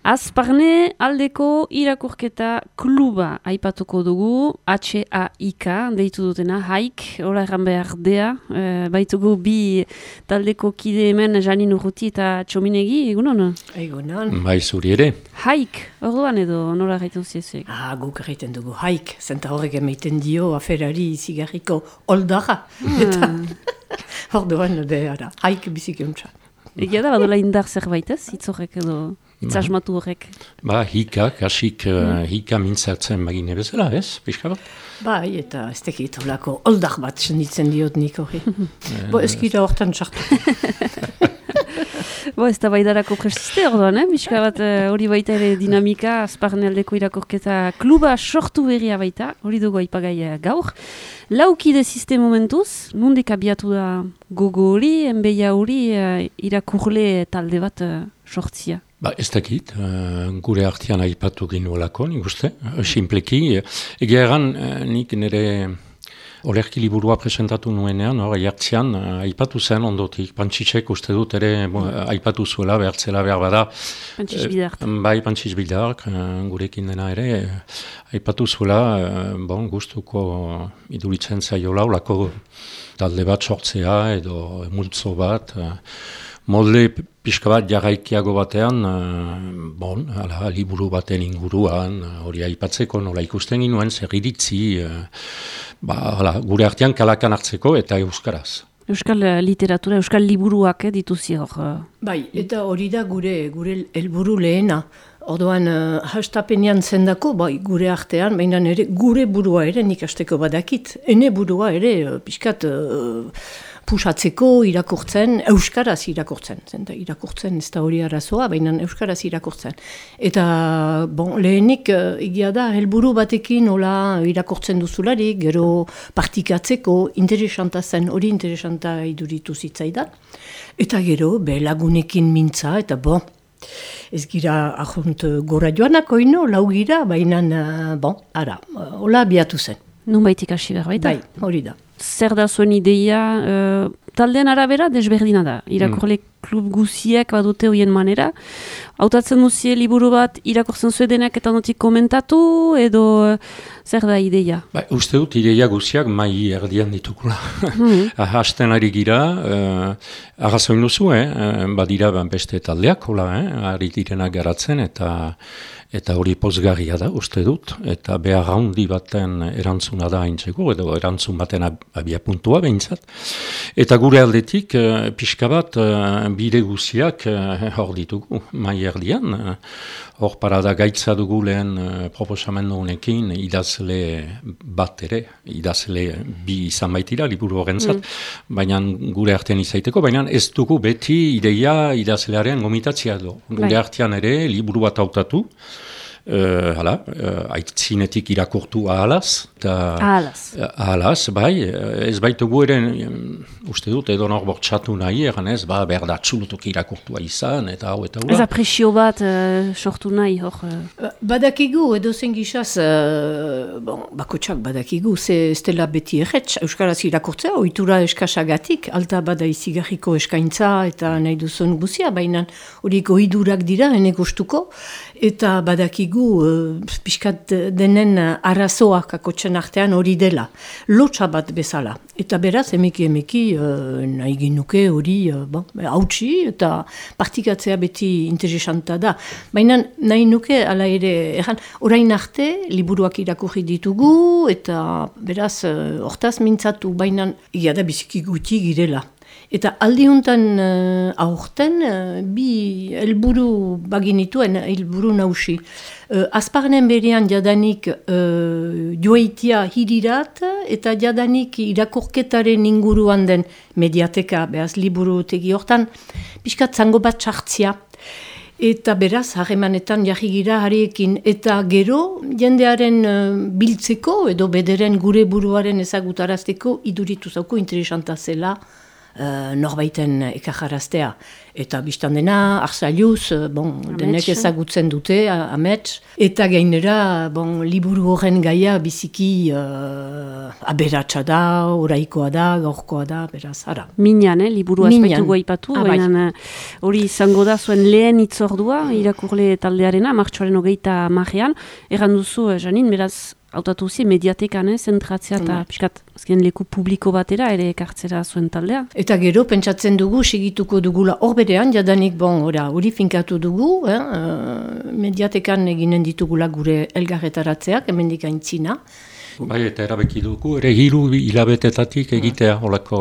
Azparne aldeko irakurketa kluba aipatuko dugu, HAIK, deitu dutena, haik, hola erran behar dea, baitugu bi taldeko kide hemen Janin Urruti eta Txominegi, egunon? Egunon. Bai, zuri ere. Haik, orduan edo nola gaiten ziezuek? Guk egiten dugu haik, zenta horrek emaiten dio aferari zigarriko oldara. Eta orduan, haik bizikiontza. Egia da, badola indar zerbait ez, hitzorrek edo... Itzasmatu horrek. Hikak, hasik hika mintzatzen bagine bezala, ez? Pixka bat? Bai, eta ez tekit olako oldak bat senditzen diot nik hori. Eskira hortan txartu. Ez da baidarako prestiste orduan, pixka bat hori baita ere dinamika, Azparne aldeko irakurketa kluba sortu berria baita, hori dugu aipagai gaur. Laukide ziste momentuz, nondik abiatu da gogo hori, enbeia hori irakurle talde bat sortzia? Ez dakit, gure artean aipatu ginuelako, nik uste, sinpleki. Egia egan, nik nire olerki liburua presentatu nuenean, jartzean, aipatu zen ondotik, Pantsitsek uste dut ere aipatu zuela, behartzela behar bada. Pantsits Bidark. Bai, Pantsits Bidark, gurekin dena ere, aipatu zuela, gustuko iduritzen zaiola, olako talde bat sortzea, edo multzo bat, molde pixka bat jarraikiago batean, liburu baten inguruan, hori aipatzeko nola ikusten ginuen, zer iritzi, gure artean kalakan hartzeko eta euskaraz. Euskal literatura, euskal liburuak dituzi hor. Bai, eta hori da gure helburu lehena. Orduan, hastapenean zendako, gure artean, baina gure burua ere nik hasteko badakit. Ene burua ere, pixkat, pusatzeko irakurtzen, euskaraz irakurtzen. Zenta irakurtzen ez da hori arazoa, baina euskaraz irakurtzen. Eta, lehenik, egia da, helburu batekin hola irakurtzen duzularik, gero partikatzeko interesanta zen, hori interesanta iduritu zitzaidan. Eta gero, lagunekin mintza, eta ez gira ahunt gora joanako ino, lau gira, baina, hola abiatu zen. Nun baitik hasi behar baita? Bai, hori da. Zer da zuen ideia, taldean arabera desberdina da. Irakurle klub guziak badute hoien manera. Hautatzen duzie liburu bat irakurtzen zuedenak eta notik komentatu, edo zer da ideia? Uste dut ideia guziak mai erdian ditukula. Hasten ari gira, arrazoin duzu, badira beste taldeak, ari direnak garatzen, eta hori pozgarria da, uste dut, eta behar handi baten erantzuna da haintzeko, edo erantzun baten abia puntua behintzat. Eta gure aldetik, pixka bat, bide guziak hor ditugu, mai erdian. Hor parada gaitza dugu lehen proposamendu honekin idazle bat ere, idazle bi izan baitira, liburu horrentzat, baina gure artean izaiteko, baina ez dugu beti ideia idazlearen gomitatzea do. Gure artean ere, liburu bat hautatu, aitzinetik irakurtu ahalaz. Ahalaz, bai. Ez baitugu ere, uste dut, edo nor bortxatu nahi, egan ez, berda txulutuk irakurtua izan, eta hau, eta hau. Ez apresio bat sortu nahi, hor? Badakigu, edo zen gizaz, bakotxak badakigu, ez dela beti erretz, euskaraz irakurtzea, ohitura eskasagatik, alta bada izigarriko eskaintza, eta nahi duzun guzia, baina horiek ohidurak dira, ene gustuko, eta badakigu pixkat denen arazoak akotxen artean hori dela, lotxa bat bezala. Eta beraz, emeki nahi genuke hori hautsi eta partikatzea beti interesanta da. Baina nahi nuke, ala ere, orain arte, liburuak irakurri ditugu, eta beraz, hortaz mintzatu, baina ia da biziki guti girela. Eta aldiuntan aurten bi helburu baginituen, helburu nausi. Azparnen berean jadanik joaitia hirirat eta jadanik irakurketaren inguruan den mediateka, behaz liburu tegi hortan, pixkat zango bat txartzia. Eta beraz, harremanetan jarri gira hariekin, eta gero jendearen biltzeko edo bederen gure buruaren ezagutarazteko iduritu zauko interesanta zela, norbaiten ekajaraztea. Eta biztan dena, Arzailuz, denek ezagutzen dute, amets. Eta gainera, liburu horren gaia biziki aberatsa da, oraikoa da, gaurkoa da, beraz, ara. Minan, liburu azpaitu goipatu, baina hori izango da zuen lehen itzordua, irakurle taldearena, martxoaren 30 erran duzu, Janin, beraz, hautatu zi, mediatekan, zentratzea eta piskat, azken leku publiko batera ere ekartzera zuen taldea. Eta gero, pentsatzen dugu, segituko dugula hor berean, jadanik, hori finkatu dugu, mediatekan eginen ditugula gure elgarretaratzeak, hemendik aintzina. Bai, eta erabeki dugu, ere 3 hilabetetatik egitea olako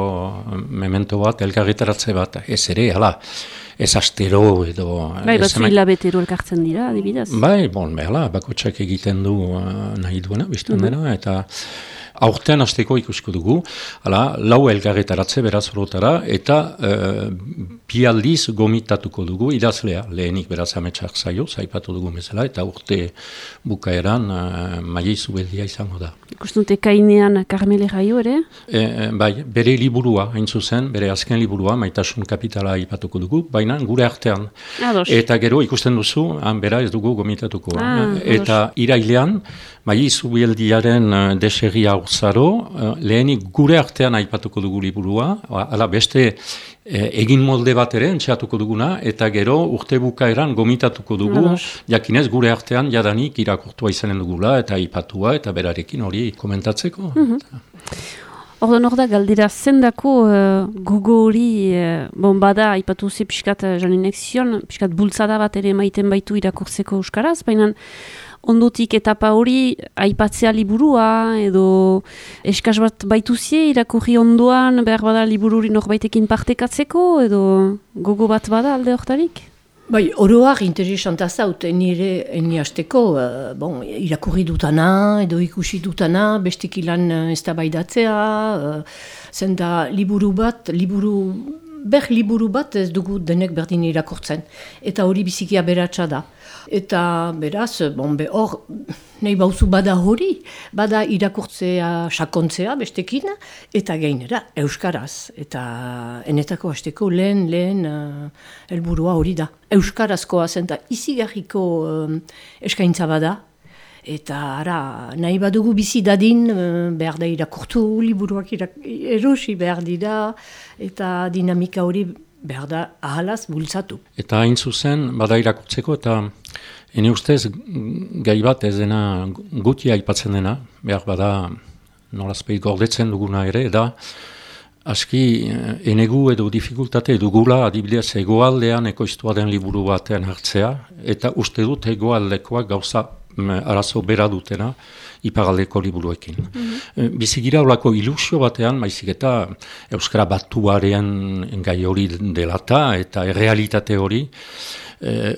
memento bat, elgarretaratze bat, ez ere, ez astero edo... Bai, batzu hilabetero elkartzen dira, adibidez. Bai, bakotxak egiten du nahi duena, biztan dena, eta aurtean hasteko ikusko dugu, 4 elgarretaratze beraz orotara, eta 2 aldiz gomitatuko dugu idazlea, lehenik beraz ametsak zaio, zaipatu dugu bezala, eta urte bukaeran Maia Zubeldia izango da. Ikustute kainean Karmele Jaio ere? Bai, bere liburua, hain zuzen, bere azken liburua, Maitasun kapitala aipatuko dugu, baina gure artean. Eta gero ikusten duzu, bera ez dugu gomitatuko. Eta irailean, Maia Zubeldiaren deserria urzaro, lehenik gure artean aipatuko dugu liburua, beste egin molde bat ere entxeatuko duguna, eta gero urte bukaeran gomitatuko dugu, jakinez gure artean jadanik irakurtua izanen dugula, eta aipatua, eta berarekin hori komentatzeko. Ordan hor da, galdera zendako gogo hori, bada, aipatu ze piskat Janinek zion, piskat bultzada bat ere maiten baitu irakurtzeko euskaraz, baina ondotik etapa hori aipatzea liburua, edo eskaz bat baituzie irakurri ondoan, behar bada libururi norbaitekin partekatzeko, edo gogo bat bada alde hortarik? Bai, oroak interesanta zaut, nire hasteko, irakurri dutana, edo ikusi dutana, bestik ilan eztabaidatzea, zenda liburu bat ez dugu denek berdin irakurtzen, eta hori biziki aberatsa da. Eta beraz, hor, nahi bauzu bada hori, bada irakurtzea sakontzea bestekin, eta gainera euskaraz. Eta enetako hasteko lehen helburua hori da. Euskarazkoa zen eta izigarriko eskaintza bada. Eta nahi badugu bizi dadin, behar da irakurtu, liburuak erosi behar dira, eta dinamika hori behar da ahalaz bultzatu. Eta hain zuzen, bada irakurtzeko, eta ene ustez gai bat ez dena guti aipatzen dena, behar bada nolazpeit gordetzen duguna ere, da aski enegu edo dificultate dugula adibidez egoaldean ekoiztua den liburu batean hartzea, eta uste dut egoaldekoak gauza arazo bera dutena ipagaldeko liburuekin. Bizigira olako ilusio batean, maizik eta Euskara batuaren gai hori delata eta errealitate hori,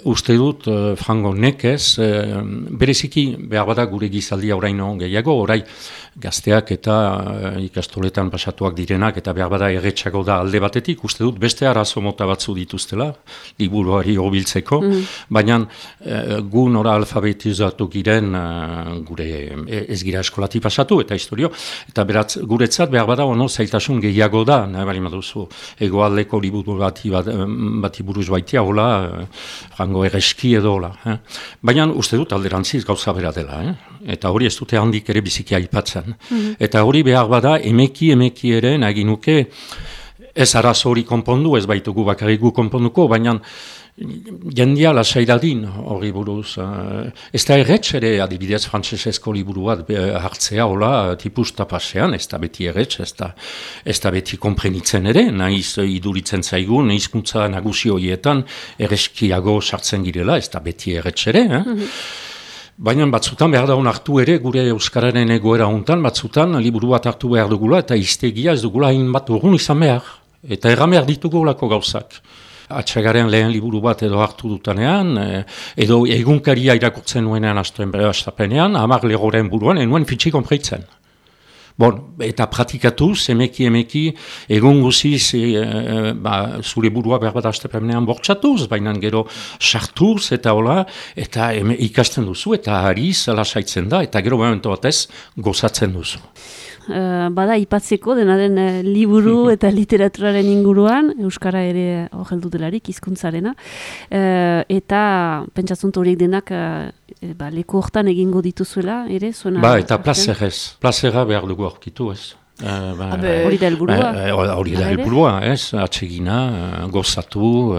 uste dut, frango nekez, bereziki behar bada gure gizaldia oraino gehiago, orai gazteak eta ikastoletan pasatuak direnak eta behar bada erretxago da alde batetik, uste dut beste arazo mota batzu dituztela, liburuari hobiltzeko, baina gu nora alfabetizatu giren gure ez gira eskolati pasatu eta historio, eta beratz guretzat behar bada ono zailtasun gehiago da, nahi bali maduzu, egoaldeko liburu bati buruz baitia, hola, frango erreski edo hola. Baina uste dut alderantziz gauza bera dela, eta hori ez dute handik ere biziki aipatzen. Eta hori behar bada emeki ere nagin nuke ez arazo hori konpondu, ez baitugu bakarriku konponduko, baina jendia lasairadin hori buruz. Ez da erretz ere adibidez frantsesezko liburu bat hartzea hola tipuz tapasean, ez da beti erretz, ez da beti konprenitzen ere, nahiz iduritzen zaigun, hizkuntza nagusi horietan erreskiago sartzen girela, ez da beti erretz ere, Baina batzutan behar da hartu ere, gure Euskararen egoera hontan, batzutan liburu bat hartu behar dugula, eta iztegia ez dugula hainbat urrun izan behar. Eta erran behar ditugu lako gauzak. Atxagaren lehen liburu bat edo hartu dutanean, edo egunkaria irakurtzen nuenean astuen bere astapenean, 10 legoren buruan, enuen fitxi konpreitzen. eta pratikatuz, emeki, egun guziz, zure burua behar bat astepenean bortxatuz, baina gero sartuz eta hola, eta ikasten duzu, eta hariz lasaitzen da, eta gero momentu batez gozatzen duzu. Bada ipatzeko denaren liburu eta literaturaren inguruan, Euskara ere horreldu delarik, hizkuntzarena, eta pentsatzuntu horiek denak leku hortan egingo dituzuela, ere? Eta plazera behar dugu aurkitu, ez? Hori da helburua. Hori da helburua, ez? Atsegina, gozatu,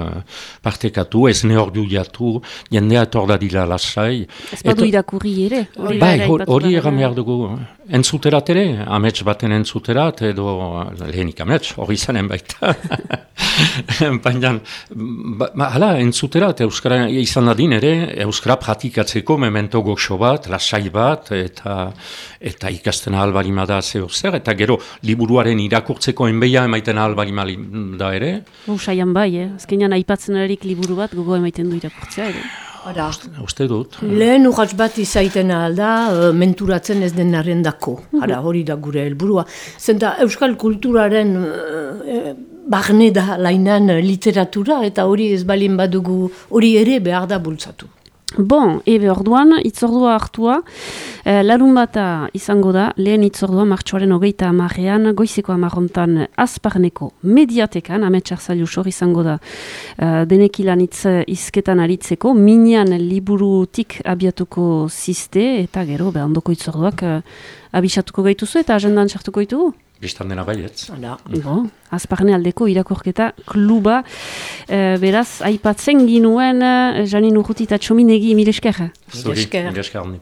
partekatu, ez neorduiatu, jendea etordadila lasai. Ez badu irakurri ere? Hori egan behar dugu. Entzuterat ere, amets baten entzuterat, edo lehenik amets, hori izanen baita. Baina, hala, entzuterat, Euskara izan dadin ere, Euskara pratikatzeko memento goxo bat, lasai bat, eta ikasten ahalbarimada zeo zer, eta gero liburuaren irakurtzeko enbeia emaiten ahalbarimada ere. Saian bai, azkenean aipatzen erarik liburu bat, gogo emaiten du irakurtzea ere. Uste dut. Lehen urratz bat izaiten alda, menturatzen ez denaren dako. Hori da gure helburua. Zenta euskal kulturaren barne da lainan literatura, eta hori ez balin badugu, hori ere behar da bultzatu. Ebe orduan, itzordua hartua, larun bata izango da, lehen itzordua martxoaren 30 goizeko 10 Azparneko mediatekan, Ametxar Zailus hor izango da, denekilan izketan aritzeko, minean liburutik abiatuko ziste, eta gero, ondoko itzorduak abisatuko gaituzu eta agendan sartuko ditugu? Bistan dena baietz. Azparne aldeko irakurketa kluba, beraz, aipatzen ginuen, Janin Urruti eta Txominegi, mire esker. Mire esker.